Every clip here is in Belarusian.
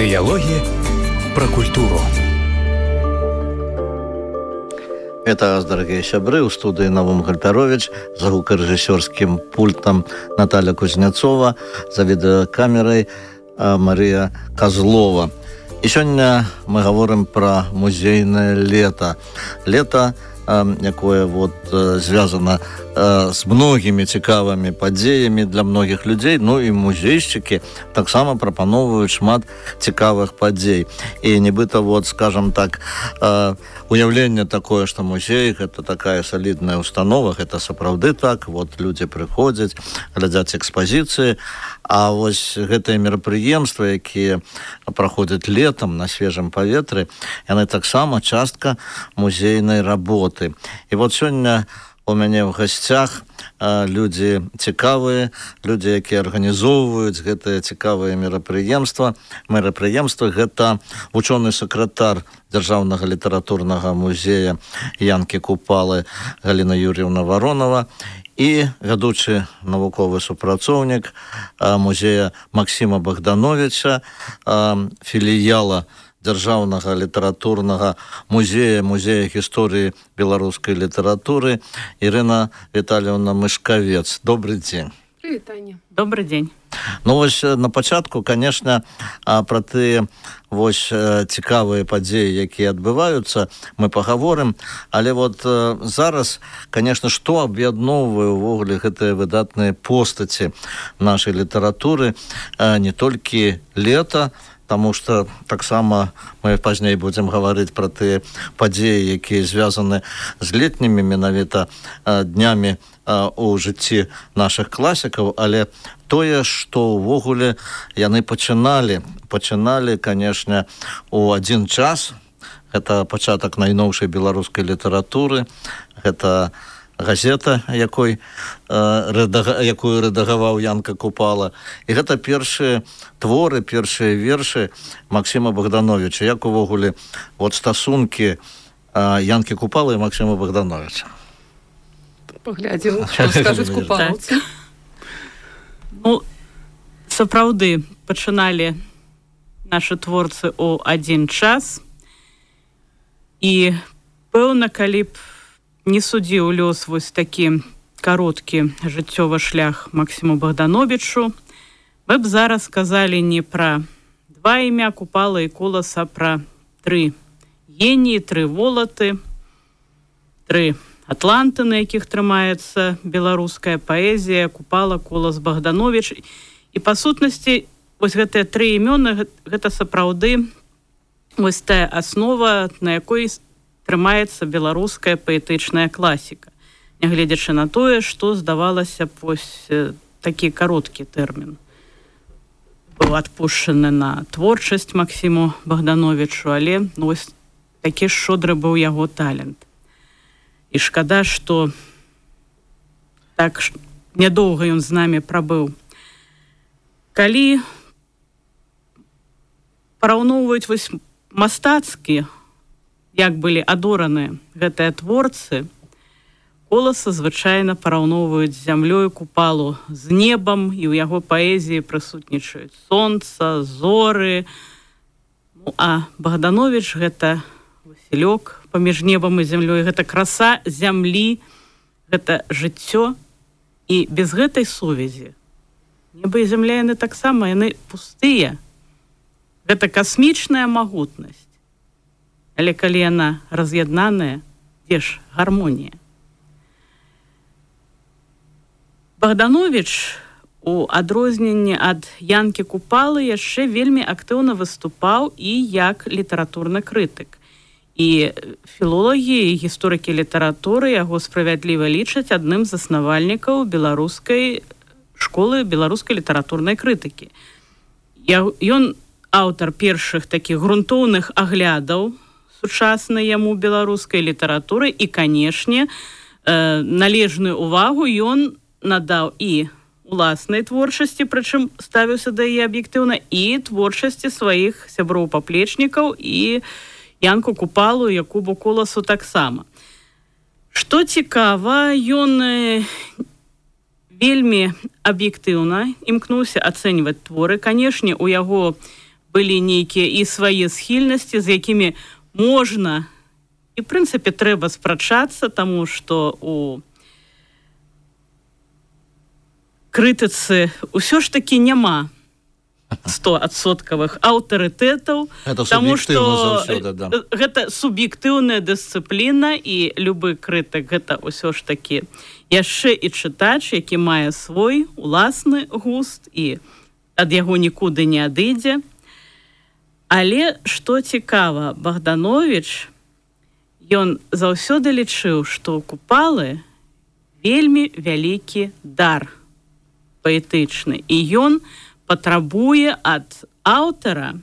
Диалоги про культуру. Это вас, дорогие сябры, у студии Навум Гальперович, за звукорежиссерским пультом Наталья Кузнецова, за видеокамерой Мария Козлова. И сегодня мы говорим про музейное лето. Лето, якое звязано з многімі цікавымі падзеямі для многіх людзей, ну і музейшчыкі таксама прапаноўваюць шмат цікавых падзей. І нібыта, скажем так, уяўленне такое, што музей гэта такая салідная установа, гэта сапраўды так, людзі прыходзяць, глядзяць экспазіцыі, а гэтыя мерапрыемствы, якія праходзяць летам на свежым паветры, яны таксама частка музейнай работы. І сёння у мяне ў гасцях людзі цікавыя, людзі, якія арганізоўваюць гэтыя цікавыя мерапрыемствы. Гэта вучоны сакратар Дзяржаўнага літаратурнага музея Янкі Купалы Галіна Юр'евна Воронова і вядучы навуковы супрацоўнік музея Максіма Богдановича, філіяла Дзяржаўнага літаратурнага музея гісторыі беларускай літаратуры Ірына Віталіўна Мышкавец. Добрый дзень. Привет, Таня. Добрый дзень. На пачатку, конечно, пра тыя цікавыя падзеі, якія адбываюцца, мы пагаворым, але зараз, конечно, што аб'ядноўвае ўвогуле гэтыя выдатныя постаці нашай літаратуры, не толькі лета, потому что таксама мы пазней будзем гаварыць пра тыя падзеі, якія звязаны з летнімі менавіта днямі у жыцці нашых класікаў, але тое, што ўвогуле яны пачыналі, конечно, у адзін час. Гэта пачатак найноўшай беларускай літаратуры, гэта газета, якую рэдагаваў Янка Купала. І гэта першыя творы, першыя вершы Максіма Богдановича. Як увогуле стасункі Янкі Купалы і Максіма Богдановича? Паглядзім, што скажуць купалаўцы. Сапраўды пачыналі нашы творцы ў адзін час. І пэўна, калі б не судзіў лёс такі кароткі жыццёвы шлях Максіму Богдановичу, мы б зараз сказалі не пра два імя Купала і Коласа, пра тры геніі, тры волаты, тры атланты, на якіх трымаецца беларуская паэзія: Купала, Колас, Богданович. І па сутнасці гэтыя тры імёны гэта сапраўды тая аснова, на якой трымаецца беларуская паэтычная класіка, нягледзячы на тое, што здавалася б такі кароткі тэрмін быў адпушчаны на творчасць Максіму Богдановичу, але такі шчодры быў яго талент. І шкада, што так нядоўга ён з намі прабыў. Калі параўноўваюць мастацкі, як былі адораныя гэтыя творцы, Коласа звычайна параўноўваюць з зямлёй, Купалу з небам, і ў яго паэзіі прысутнічаюць сонца, зоры. А Богданович — гэта Васілёк паміж небам і зямлёй, гэта краса зямлі, гэта жыццё. І без гэтай сувязі неба і зямля, яны таксама, яны пустыя. Гэта касмічная магутнасць. Але калі яна раз'яднаная, дзе ж гармонія? Богданович, у адрозненні ад Янкі Купалы, яшчэ вельмі актыўна выступаў і як літаратурны крытык. І філолагі і гісторыкі літаратуры яго справядліва лічаць адным з заснавальнікаў беларускай школы беларускай літаратурнай крытыкі. Ён аўтар першых такіх грунтоўных аглядаў сучаснай яму беларускай літаратуры і, канешне, належную увагу ён надаў і уласнай творчасці, прычым ставіўся да яе аб'ектыўна, і творчасці сваіх сяброў-паплечнікаў і Янку Купалу, Якубу Коласу таксама. Што цікава, ён вельмі аб'ектыўна імкнуўся ацэньваць творы. Канешне, у яго былі нейкія і свае схільнасці, з якімі можна і, в прынцыпе, трэба спрачацца, таму што у крытыцы ўсё ж такі няма 100% аўтарытэтаў, таму што гэта суб'ектыўная дысцыпліна, і любы крытык гэта ўсё ж такі яшчэ і чытач, які мае свой уласны густ і ад яго нікуды не адыдзе. Але што цікава, Богданович, ён заўсёды лічыў, што Купалы вельмі вялікі дар паэтычны, і ён патрабуе ад аўтара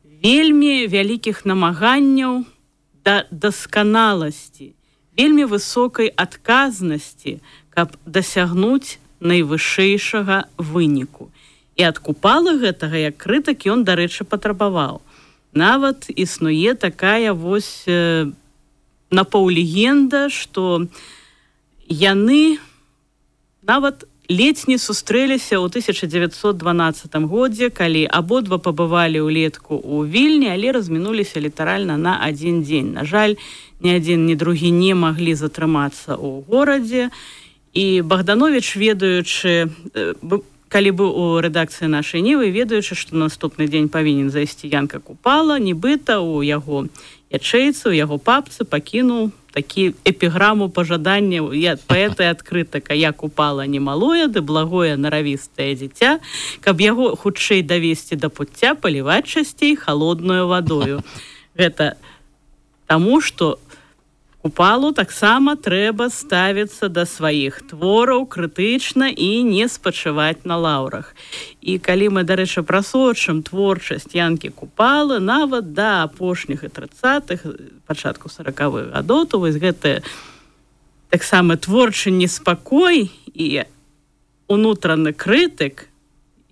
вельмі вялікіх намаганняў да дасканаласці, вельмі высокай адказнасці, каб дасягнуць найвышэйшага выніку. І ад Купала гэтага, як крытык, ён, дарэчы, патрабаваў. Нават існуе такая вось напаўлегенда, што яны нават ледзь не сустрэліся ў 1912 годзе, калі абодва пабывалі ўлетку ў Вільні, але размінуліся літаральна на адзін дзень. На жаль, ні адзін, ні другі не маглі затрымацца ў горадзе. І Богданович, ведаючы, калі быў у рэдакцыі нашай Нівы, ведаючы, што наступны дзень павінен зайсці Янка Купала, нібыта ў яго ячэйцы, у яго папцы пакінуў такі эпіграму пажадання паэта і адкрытака: «Я Купала не малое, ды благое наравістае дзіця, каб яго хутчэй давесці да пуцця, паліваць часцей халодною вадою». Гэта таму, што Купалу таксама трэба ставіцца да сваіх твораў крытычна і не спачываць на лаўрах. І калі мы, дарэчы, прасочым творчасць Янкі Купалы нават да апошніх і 30-х, пачатку 40-х гадоў, то вось гэты таксама творчы неспакой і унутраны крытык,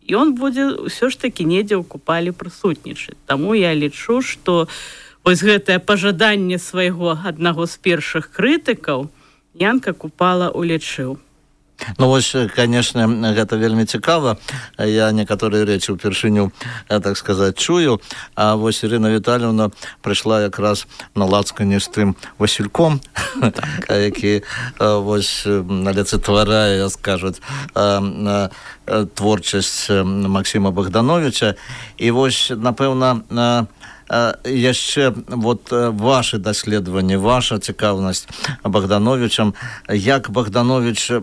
ён будзе ўсё ж такі недзе ў Купалі прысутнічаць. Таму я лічу, што вось гэтае пажаданне свайго аднаго з першых крытыкаў Янка Купала улічыў. Ну вось, конечно, гэта вельмі цікава. Я некаторыя рэчы ўпершыню, так сказаць, чую. А вось Ірына Віталіўна прыйшла якраз на лацкані з тым Васільком, які вось алицетварае, скажуць, творчасць Максіма Богдановича. І вось, напэўна, яшчэ вот ваши даследаванні, ваша цікаўнасць Богдановичам, як Богданович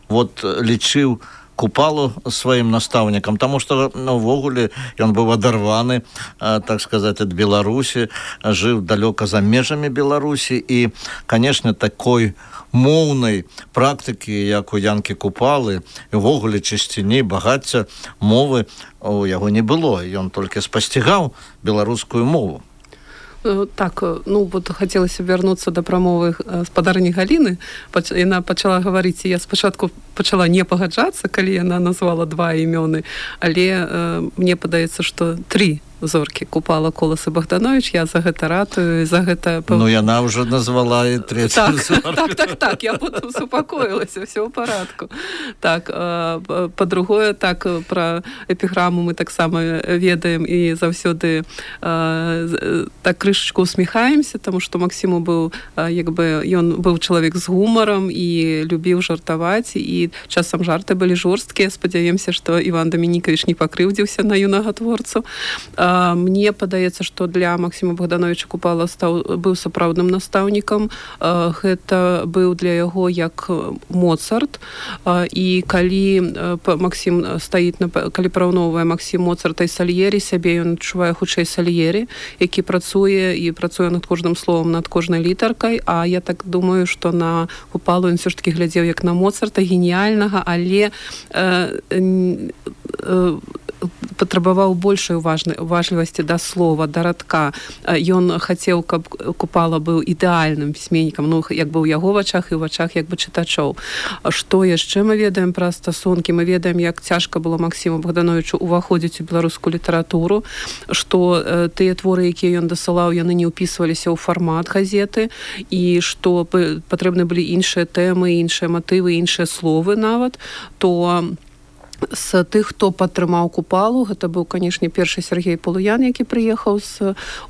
вот лічыў Купалу сваім настаўнікам, таму што увогуле ён быў адарваны, так сказаць, ад Беларусі, жыў далёка за межамі Беларусі, і, канешне, такой моўнай практыкі, як у Янкі Купалы, і ўвогуле чысціні, багацця мовы у яго не было. Ён толькі спасцігаў беларускую мову. Так, ну вот хацелася вярнуцца да прамовы спадарні Галіны. Яна пачала гаварыць, і я спачатку пачала не пагаджацца, калі яна назвала два імёны, але мне падаецца, што 3 зоркі: Купала, Колас і Богданович. Я за гэта ратую, за гэта... Ну, яна ўжо назвала і 3-ю зорку. Так, я потым супакоілася, ўсё ў парадку. Так, па-другое, так, пра эпіграму мы таксама ведаем і заўсёды так крышачку усміхаемся, таму што Максіму быў, як бы, ён быў чалавек з гумарам і любіў жартаваць, і часам жарты былі жорсткія. Спадзяемся, што Іван Дамінікавіч не пакрыўдзіўся на юнага творцу. Мне падаецца, што для Максіма Богдановича Купала быў сапраўдным настаўнікам. Гэта быў для яго як Моцарт. І калі Максім стаіць, калі параўноўвае Максім Моцарта і Сальері, сябе ён адчувае хутчэй Сальері, які працуе над кожным словам, над кожнай літаркай. А я так думаю, што на Купалу ён ўсё ж такі глядзеў як на Моцарта, геніяльнага, але патрабаваў большай уважлівасці да слова, да радка. Ён хацеў, каб Купала быў ідэальным пісьменнікам, ну, як бы ў яго вачах і ў вачах як бы чытачоў. Што яшчэ мы ведаем пра стасункі? Мы ведаем, як цяжка было Максіму Богдановичу ўваходзіць у беларускую літаратуру, што тыя творы, якія ён дасылаў, яны не ўпісваліся ў фармат газеты, і што патрэбны былі іншыя тэмы, іншыя матывы, іншыя словы нават, то з тых, хто падтрымаў Купалу, гэта быў, канешне, першы Сергей Полуян, які прыехаў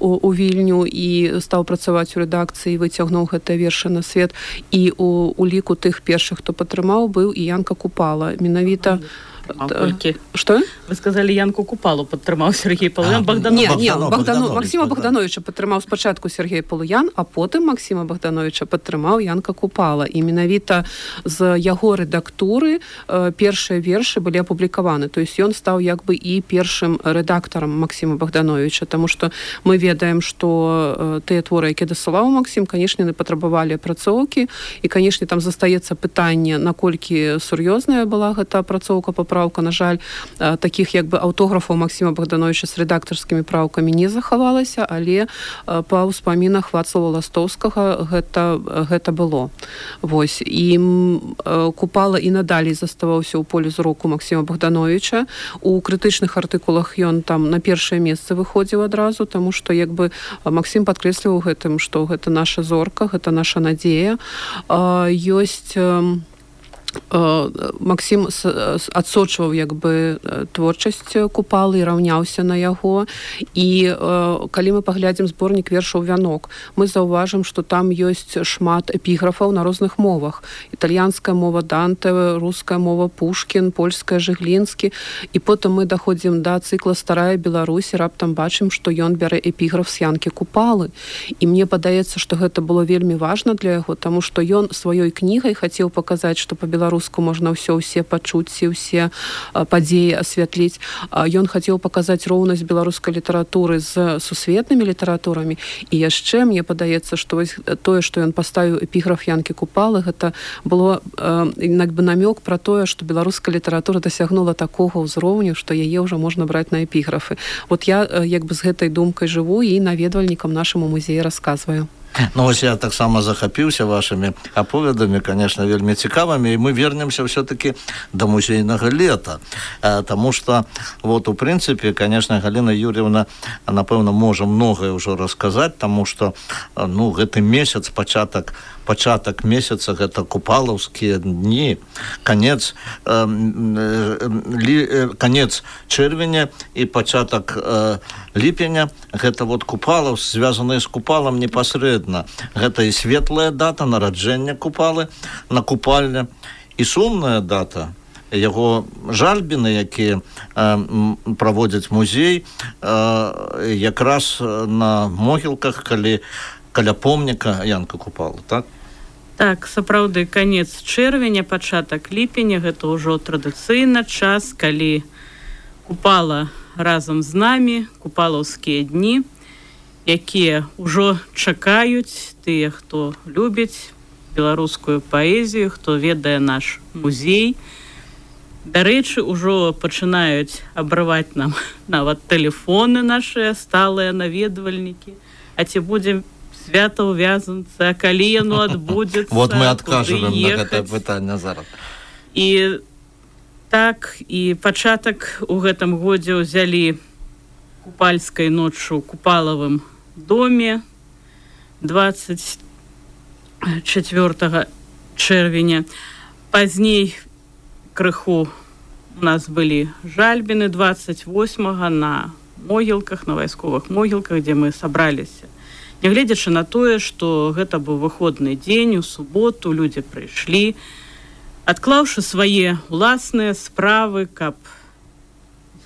у Вільню і стаў працаваць у рэдакцыі, выцягнуў гэтыя вершы на свет. І у ліку тых першых, хто падтрымаў, быў і Янка Купала. Менавіта... Что? Вы сказали, Янку Купалу падтрымаў Сергей Полуян. Максима Богдановича падтрымаў спачатку Сергей Полуян, а потым Максима Богдановича падтрымаў Янка Купала. І менавіта з яго рэдактуры першыя вершы былі апублікаваны. То есть ён стаў як бы і першым рэдактарам Максима Богдановича, таму што мы ведаем, што тыя творы, якія дасылаў Максим, канешне, патрабавалі апрацоўкі, і, канешне, там застаецца пытанне, наколькі сур'ёзная была гэта апрацоўка, правка, на жаль, такіх як бы аўтографаў Максима Богдановича з рэдактарскімі праўкамі не захавалася, але па ўспамінах Вацлава Ластоўскага гэта было. Вось. І Купала і надалей заставаўся ў полі зроку Максима Богдановича. У крытычных артыкулах ён там на першае месца выходзіў адразу, таму што як бы Максим падкрэсліваў гэтым, што гэта наша зорка, гэта наша надзея. Ёсць... Максим адсочваў як бы творчасць Купалы і раўняўся на яго. І калі мы паглядзім зборнік вершаў «Вянок», мы заўважым, што там ёсць шмат эпіграфаў на розных мовах. Італьянская мова Данте, руская мова Пушкін, польская Жыглінскі. І потым мы даходзім да цыкла «Старая Беларусь» і раптам бачым, што ён бярэ эпіграф з Янкі Купалы. І мне падаецца, што гэта было вельмі важна для яго, таму што ён сваёй кнігай хацеў паказаць, што па-беларуску можна ўсе пачуць, усе падзеі асвятліць. Ён хацеў паказаць роўнасць беларускай літаратуры з сусветнымі літаратурамі. І яшчэ мне падаецца, што тое, што ён паставіў эпіграф Янкі Купалы, гэта было як бы намёк пра тое, што беларуская літаратура дасягнула такога ўзроўню, што яе ўжо можна браць на эпіграфы. Вот я як бы з гэтай думкай жыву і наведвальнікам нашаму музеі расказваю. Ну, вось я таксама захапіўся вашымі аповедамі, конечно, вельмі цікавымі, і мы вернемся все-таки до музейнага лета, таму што, вот, у прынцыпе, конечно, Галина Юрьевна, напэўна, можа многае ўжо расказаць, таму што, ну, гэты месяц, пачатак месяца, гэта купалаўскія дні, канец чэрвеня і пачатак ліпеня, гэта вот Купалаў, звязаныя з Купалам непасрэдна. Гэта і светлая дата нараджэння Купалы на купальня, і сумная дата яго жальбіны, якія праводзяць музей якраз на могілках, каля помніка Янка Купалы, так? Так, сапраўды, канец чэрвеня, пачатак ліпеня, гэта ўжо традыцыйна час, калі Купала разам з намі, купалаўскія дні, якія ўжо чакаюць тыя, хто любіць беларускую паэзію, хто ведае наш музей. Дарэчы, ужо пачынаюць абрываць нам нават тэлефоны нашыя сталыя наведвальнікі. А ці будзе свята ў Вязанцы, а калі яно адбудзецца, вот мы адкажам на гэтае пытанне зараз. І так, і пачатак у гэтым годзе ўзялі купальскай ноччу ў Купалавым доме 24 чэрвеня. Пазней крыху у нас былі жальбіны 28-го на могілках, на вайсковых могілках, дзе мы сабраліся. Нягледзячы на тое, што гэта быў выходны дзень, у суботу людзі прыйшлі, адклаўшы свае ўласныя справы, каб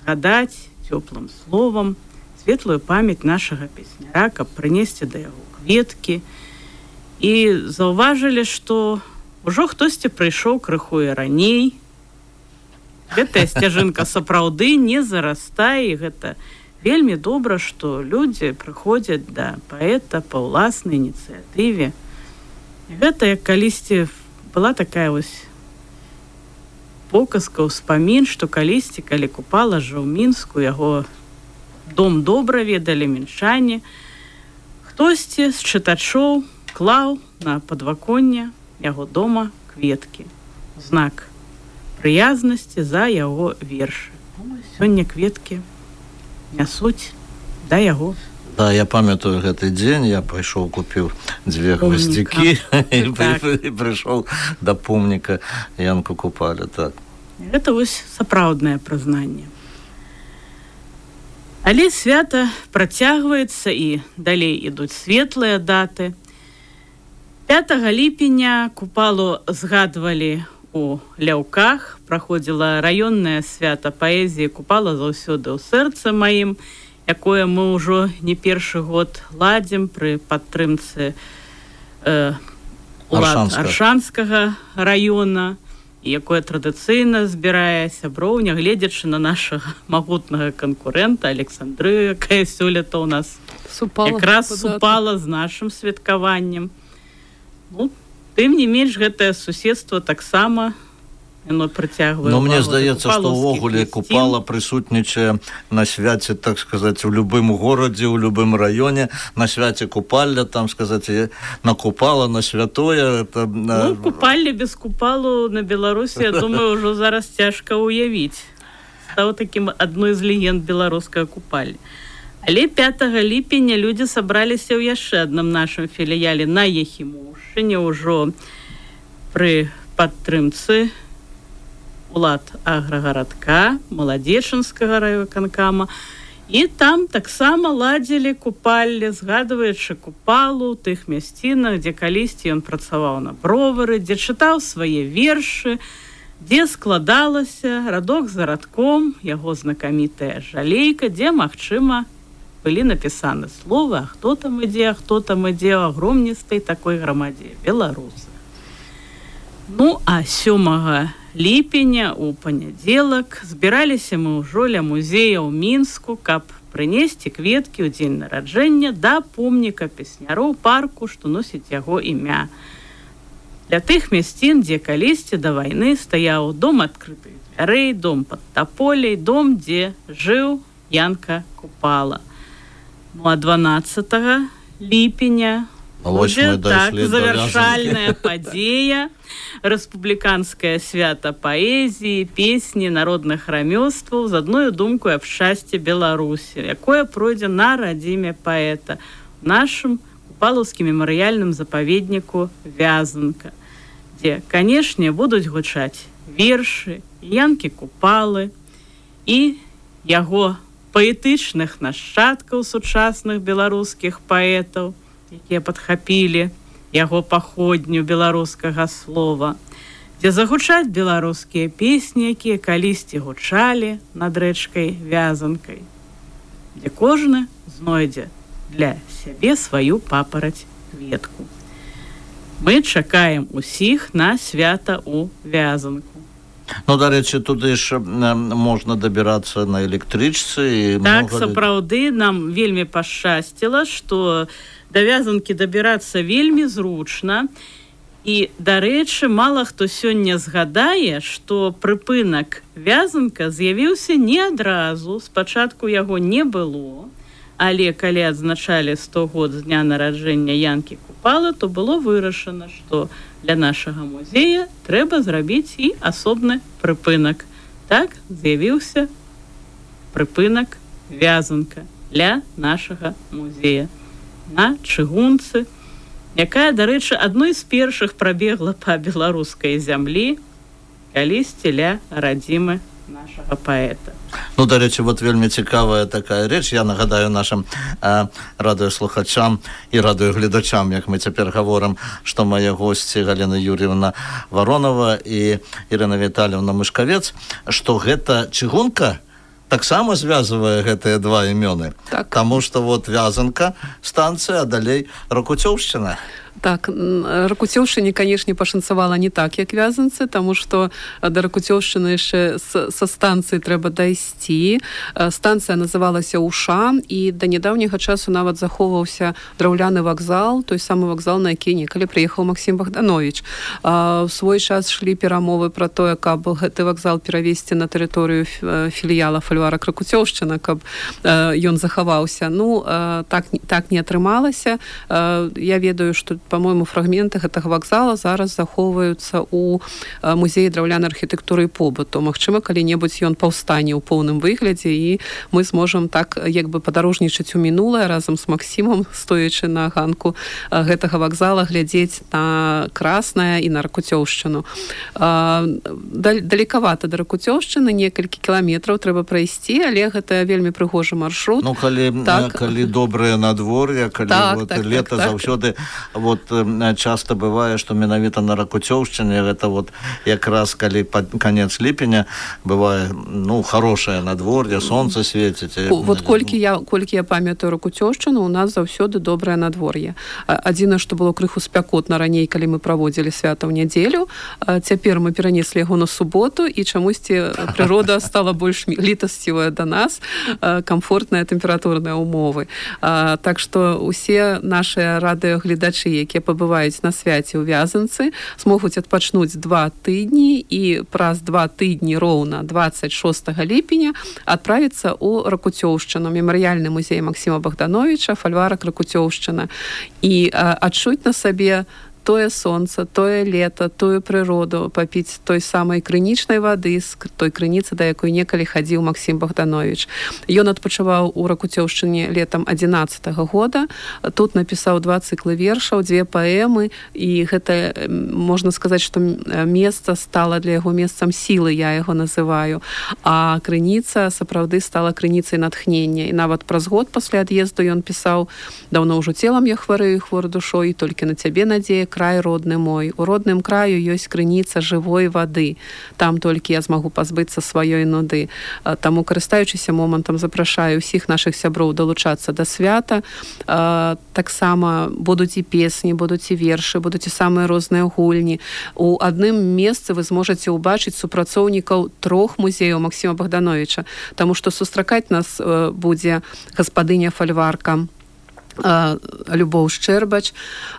згадаць цёплым словам светлую памяць нашага песняра, каб прынесці да яго кветкі. І заўважылі, што ўжо хтосьці прыйшоў крыху і раней. Гэтая сцяжынка сапраўды не зарастае, і гэта вельмі добра, што людзі прыходзяць да паэта па ўласнай ініцыятыве. І гэта як калісьці была такая вось показка, ўспамін, што калісьці, калі Купала жыў у Мінску, яго дом добра ведалі мінчане, хтосьці з чытачоў клаў на падваконне яго дома кветкі. Знак прыязнасці за яго вершы. Сёння кветкі нясуць да яго. Да, я памятаю гэты дзень, я пайшоў, купіў 2 гваздзікі і прыйшоў да помніка Янку Купалі, так. Гэта вось сапраўднае прызнанне. Але свята працягваецца і далей ідуць светлыя даты. 5 ліпеня Купалу згадвалі у Ляўках, праходзіла раённае свята паэзіі «Купала заўсёды ў сэрцы маім», якое мы ўжо не першы год ладзім пры падтрымцы улад Аршанскага раёна, якое традыцыйна збірае сяброў, нягледзячы на нашага магутнага канкурэнта Александрыю, якая сёлета ў нас якраз супала з нашым святкаваннем. Ну, тым не менш, гэтае суседства таксама яно прыцягвае. Но мне здаецца, што ўвогуле Купала прысутнічае на свяце, так сказаць, у любым горадзе, у любым раёне, на свяце Купалля, там сказаць, на Купала, на святое. Это... Ну, Купалля без Купалу на Беларусі, я думаю, ўжо зараз цяжка ўявіць. Стаў такім адной з легенд беларускага Купалля. Але 5 ліпеня людзі сабраліся ў яшчэ адным нашым філіяле на Яхімоўшчыне, ўжо пры падтрымцы улад аграгарадка, Маладзечынскага райвыканкама. І там таксама ладзілі Купалле, згадваючы Купалу ў тых мясцінах, дзе калісьці ён працаваў на бровары, дзе чытаў свае вершы, дзе складалася радок за радком, яго знакамітая жалейка, дзе, магчыма, былі напісаны словы, а хто там ідзе, ў агромністай такой грамадзе, беларусы. Ну, а 7 ліпеня у панядзелак збіраліся мы ўжо ля музея ў Мінску, каб прынесці кветкі ў дзень нараджэння да помніка песняроў парку, што носіць яго імя. Для тых мясцін, дзе калісьці да вайны стаяў дом адкрытых дзвярэй, дом пад таполей, дом, дзе жыў Янка Купала. Ну, а 12 ліпеня будзе так завяршальная падзея, рэспубліканскае свята паэзіі, песні, народных рамёстваў з адной думкой аб шчасці Беларусі, якое пройдзе на радзіме паэта у нашым Купалаўскім мемарыяльным запаведніку Вязанка, дзе, канешне, будуць гучаць вершы Янкі Купалы і яго паэтычных нашчадкаў сучасных беларускіх паэтаў, якія падхапілі яго паходню беларускага слова, дзе загучаць беларускія песні, якія калісьці гучалі над рэчкай Вязанкай, дзе кожны знойдзе для сябе сваю папараць кветку. Мы чакаем усіх на свята ў Вязанку. Ну, дарэчы, туды ж можна дабірацца на электрычцы. Так, сапраўды, нам вельмі пашчасціла, што да Вязанкі дабірацца вельмі зручна. І, дарэчы, мала хто сёння згадае, што прыпынак Вязанка з'явіўся не адразу, спачатку яго не было, але калі адзначалі 100 год з дня нараджэння Янкі Купалы, то было вырашана, што для нашага музея трэба зрабіць і асобны прыпынак. Так з'явіўся прыпынак Вязанка для нашага музея на чыгунцы, якая, дарэчы, адной з першых прабегла па беларускай зямлі калісьці ля радзімы нашага паэта. Ну, дарэчы, вот вельмі цікавая такая рэч. Я нагадаю нашим радыёслухачам і радыёгледачам, як мы цяпер гаворым, што мае госці Галіна Юр'евна Воронова і Ірына Віталіўна Мышкавец, што гэта чыгунка таксама звязвае гэтыя два імёны. Так. Таму што вот Вязанка станцыя, а далей Ракуцёўшчына. Так, Ракуцёўшчыне, канешне, пашанцавала не так, як Вязанцы, таму што да Ракуцёўшчыны яшчэ са станцыі трэба дайсці. Станцыя называлася Уша, і да нядаўняга часу нават захоўваўся драўляны вакзал, той самы вакзал, на які некалі прыехаў Максім Богданович. У свой час шлі перамовы пра тое, каб гэты вакзал перавесці на тэрыторыю філіяла фальварак Ракуцёўшчына, каб ён захаваўся. Ну, так не атрымалася. Я ведаю, што по-моему, фрагменты гэтага вакзала зараз захоўваюцца ў музеі драўлянай архітэктуры і побыту. Магчыма, калі-небудзь ён паўстане ў поўным выглядзе, і мы зможам так як бы падарожнічаць у мінулае разам з Максімом, стоячы на ганку гэтага вакзала, глядзець на Краснае і на Ракуцёўшчыну. Далекавата да Ракуцёўшчыны, некалькі кіламетраў трэба прайсці, але гэта вельмі прыгожы маршрут. Ну, калі добрае надвор'е, калі лета заўсёды часта бывае, што менавіта на Ракуцёўшчыне гэта якраз калі канец ліпеня бывае хорошае надвор'е, сонца свеціць. Колькі я памятаю Ракуцёўшчыну, у нас заўсёды добрае надвор'е. Адзінае, што было крыху спякотна раней, калі мы праводзілі свята ў нядзелю, цяпер мы перанеслі яго на суботу, і чамусьці прырода стала больш літасцівая да нас, камфортныя тэмпературныя ўмовы. Так што усе нашыя радыёгледачы, якія пабываюць на свяце ў Вязанцы, змогуць адпачнуць 2 тыдні і праз 2 тыдні роўна 26 ліпеня адправіцца ў Ракуцёўшчыну, мемарыяльны музей Максіма Богдановича, фальварак Ракуцёўшчына, і адчуць на сабе тое сонца, тое лета, тую прыроду, папіць той самай крынічнай вады з той крыніцы, да якой некалі хадзіў Максім Богданович. Ён адпачываў у Ракуцёўшчыне летам 11-го года. Тут напісаў 2 цыклы вершаў, 2 паэмы, і гэта, можна сказаць, што месца стала для яго месцам сілы, я яго называю. А крыніца сапраўды стала крыніцай натхнення. І нават праз год пасля ад'езду ён пісаў: «Даўно ўжо целам я хварэю, хвор душой, толькі на цябе надзея, край родны мой. У родным краю ёсць крыніца жывой вады. Там толькі я змагу пазбыцца сваёй нуды». Таму, карыстаючыся момантам, запрашаю ўсіх нашых сяброў далучацца да свята. Таксама будуць і песні, будуць і вершы, будуць і самыя розныя гульні. У адным месцы вы зможаце ўбачыць супрацоўнікаў 3 музеяў Максіма Богдановича, таму што сустракаць нас будзе гаспадыня фальварка Любоў Шчэрбач.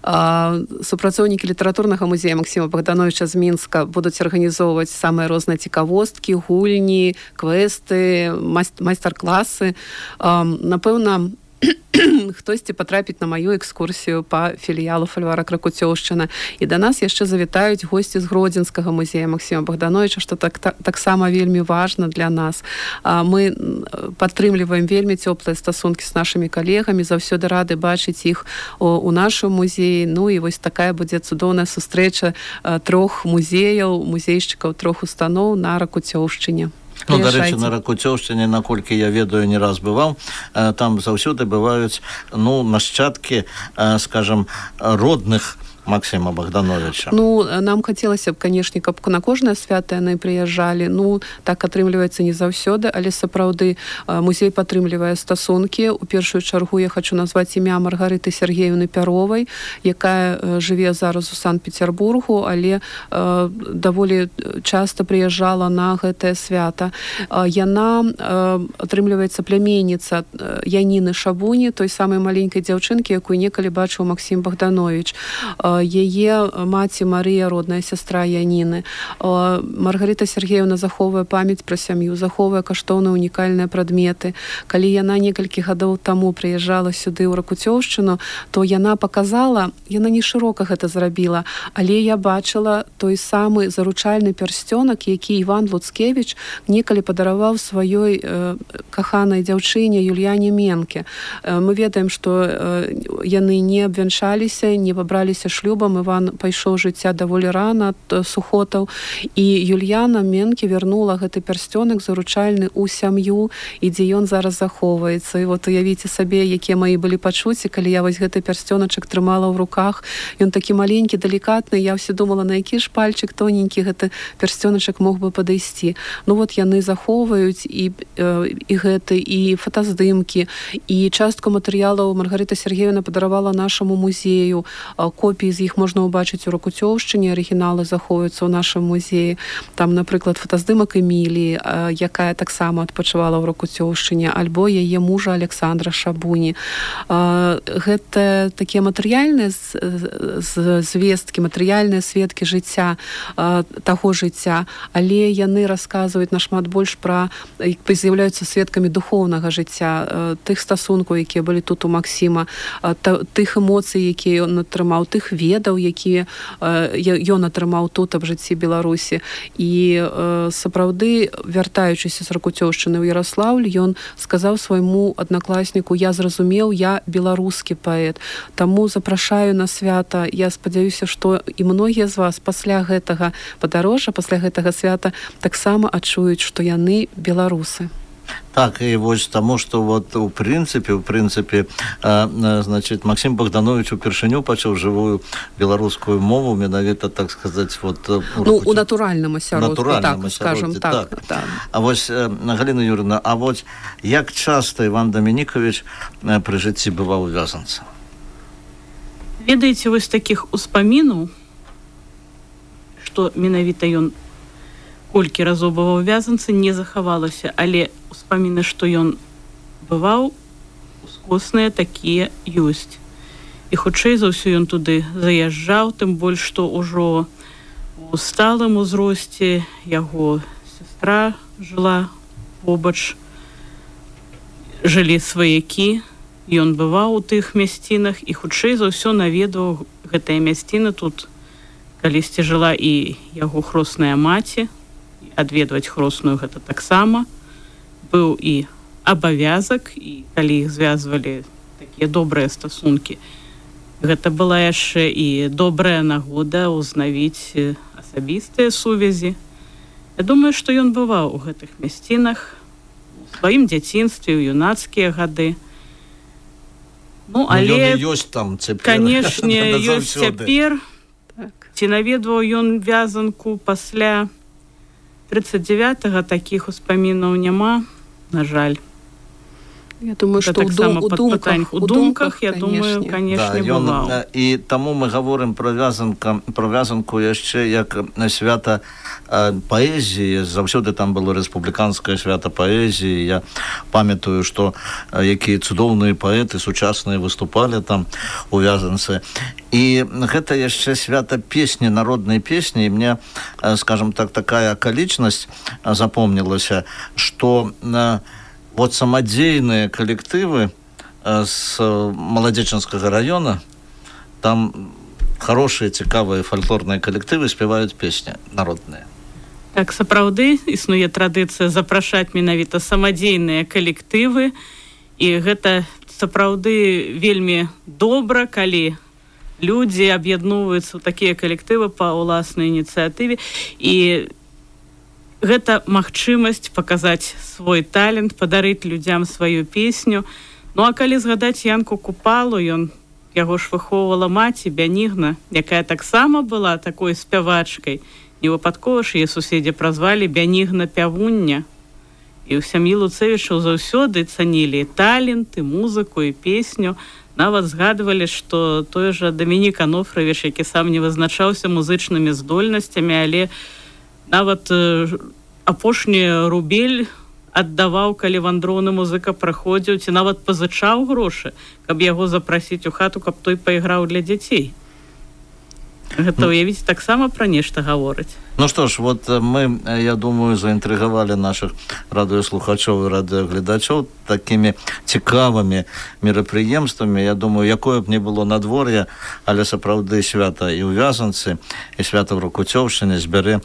Супрацоўнікі літаратурнага музея Максіма Богдановича з Мінска будуць арганізоўваць самыя розныя цікавосткі, гульні, квесты, майстар-класы. Напэўна, хтосьці патрапіць на маю экскурсію па філіялу фальварак Ракуцёўшчына. І да нас яшчэ завітаюць госці з Гродзенскага музея Максіма Богдановича, што таксама вельмі важна для нас. Мы падтрымліваем вельмі цёплыя стасункі з нашымі калегамі, заўсёды рады бачыць іх у нашым музеі. Ну і вось такая будзе цудоўная сустрэча 3 музеяў, музейшчыкаў 3 устаноў на Ракуцёўшчыне. Дарэчы, на Ракуцёўшчыне, наколькі я ведаю, не раз бываў, там заўсёды бываюць нашчадкі, скажам, родных Максима Богдановича. Нам хацелася б, канешне, каб на кожнае свята яны прыязджалі. Так атрымліваецца не заўсёды, але сапраўды музей падтрымлівае стасункі. У першую чаргу я хочу назваць імя Маргарыты Сергеевны Пяровай, якая жыве зараз у Санкт-Петербургу, але даволі часта прыязджала на гэтае свята. Яна атрымліваецца пляменніца Яніны Шабуні, той самай маленькай дзяўчынкі, якую некалі бачыў Максім Богданович. Яе маці Марыя, родная сястра Яніны. Маргарыта Сергеевна захоўвае памяць пра сям'ю, захоўвае каштоўныя унікальныя прадметы. Калі яна некалькі гадоў таму прыязджала сюды ў Ракуцёўшчыну, то яна паказала, яна не шырока гэта зрабіла, але я бачыла той самы заручальны пярсцёнак, які Іван Луцкевіч некалі падараваў сваёй каханай дзяўчыне Юльяне Менке. Мы ведаем, што яны не абвянчаліся, не пабраліся шлюбам. Іван пайшоў жыцця даволі рана ад сухотаў, і Юльяна Менке вярнула гэты пярсцёнак заручальны ў сям'ю, і дзе ён зараз захоўваецца. І уявіце сабе, якія мае былі пачуцці, калі я вось гэты пярсцёначак трымала ў руках. Ён такі маленькі, далікатны, я ўсе думала, на які ж пальчык тоненькі гэты пярсцёначак мог бы падысці. Яны захоўваюць і гэты, і фотаздымкі, і частку матэрыялаў Маргарыта Сергеевна падаравала нашаму музею, копіі Некаторыя з іх можна ўбачыць у Ракуцёўшчыне, арыгіналы захоўваюцца ў нашым музеі. Там, напрыклад, фотаздымак Эміліі, якая таксама адпачывала ў Ракуцёўшчыне, альбо яе мужа Александра Шабуні. Гэта такія матэрыяльныя звесткі, матэрыяльныя сведкі жыцця, таго жыцця, але яны расказваюць нашмат больш пра, з'яўляюцца сведкамі духоўнага жыцця, тых стасункаў, якія былі тут у Максіма, тых эмоцый, якія ён атрымаў, тых ведаў, якія ён атрымаў тут аб жыцці Беларусі. І сапраўды, вяртаючыся з Ракуцёўшчыны ў Яраслаўль, ён сказаў свайму аднакласніку: я зразумеў, я беларускі паэт. Таму запрашаю на свята. Я спадзяюся, што і многія з вас пасля гэтага падарожжа, пасля гэтага свята таксама адчуюць, што яны беларусы. Так, і вось таму, што вот у прынцыпе, значит, Максім Богданович упершыню пачаў жывую беларускую мову, менавіта, так сказаць, вот у натуральным асяродку, так, скажем так. А вось, Галіна Юрьевна, а вось як часта Іван Дамінікавіч пры жыцці бываў у Вязанцы? Ведаеце, вось такіх успамінаў, што менавіта ён колькі разоў бываў у Вязанцы, не захавалася, але успаміны, што ён бываў, ускосныя такія ёсць. І хутчэй за ўсё ён туды заязджаў, тым больш, што ўжо у сталым узросце яго сястра жыла побач, жылі сваякі, ён бываў у тых мясцінах і хутчэй за ўсё наведваў гэтыя мясціны. Тут калісьці жыла і яго хросная маці, адведваць хросную гэта таксама быў і абавязак, і калі іх звязвалі такія добрыя стасункі, гэта была яшчэ і добрая нагода ўзнавіць асабістыя сувязі. Я думаю, што ён бываў у гэтых мясцінах у сваім дзяцінстве, у юнацкія гады. Ну, але ёсць там цяпер, канешне, ёсць цяпер. Ці наведваў ён Вязанку пасля 39-го, такіх успамінаў няма, на жаль. Я думаю, што у думках, я думаю, канешне, бываў. І таму мы гаворым пра Вязанку яшчэ як свята паэзіі. Заўсёды там было рэспубліканскае свята паэзіі. Я памятаю, што якія цудоўныя паэты сучасныя выступалі там у Вязанцы. І гэта яшчэ свята песні, народнай песні. І мне, скажем так, такая акалічнасць запомнілася, што вот самадзейныя калектывы з Маладзечанскага района, там хорошыя, цікавыя фальклорныя калектывы спяваюць песні народныя. Так, сапраўды, існуе традыцыя запрашаць менавіта самадзейныя калектывы, і гэта сапраўды вельмі добра, калі людзі аб'ядноўваюцца ў такія калектывы па ўласнай ініцыятыве, і гэта магчымасць паказаць свой талент, падарыць людзям сваю песню. Ну, а калі згадаць Янку Купалу, яго ж выхоўвала маці Бянігна, якая таксама была такой спявачкай. Невыпадкова ж яе суседзі празвалі Бянігна Пявуння. І ў сям'і Луцэвічаў заўсёды цанілі талент, і музыку, і песню. Нават згадвалі, што той жа Дамінік Анофравіч, які сам не вызначаўся музычнымі здольнасцямі, але нават апошні рубель аддаваў, калі вандроўны музыка праходзіў, ці нават пазычаў грошы, каб яго запрасіць у хату, каб той пайграў для дзяцей. Гэта, уявіць, таксама пра нешта гаворыць. Ну што ж, вот мы, я думаю, заінтрыгавалі нашых радыёслухачоў і радыёгледачоў такімі цікавымі мерапрыемствамі. Я думаю, якое б не было надвор'е, але сапраўды свята і ў Вязанцы, і свята ў Ракуцёўшчыне збярэ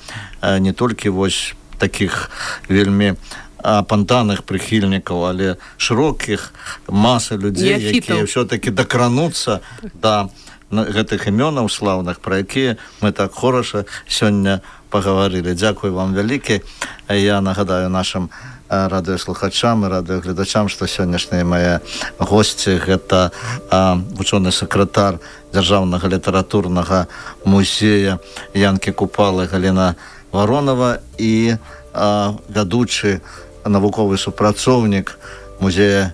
не толькі вось такіх вельмі апантаных прыхільнікаў, але шырокіх масы людзей, якія ўсё-такі дакрануцца да гэтых імёнаў слаўных, пра якія мы так хораша сёння пагаварылі. Дзякуй вам вялікі. Я нагадаю нашым радыёслухачам і радыёгледачам, што сённяшнія мае госці гэта вучоны сакратар Дзяржаўнага літаратурнага музея Янкі Купалы Галіна Варонова і вядучы навуковы супрацоўнік музея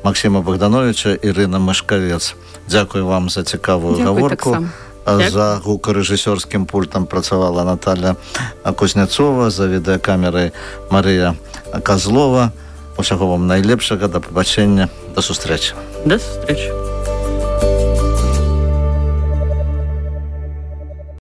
Максіма Богдановича Ірына Машкавец. Дзякую вам за цікавую гаворку. За гукарэжысёрскім пультам працавала Наталья Кузняцова, за відэакамерай Марыя Козлова. Усяго вам найлепшага, да пабачэння, да сустрэчы. До сустрэчы.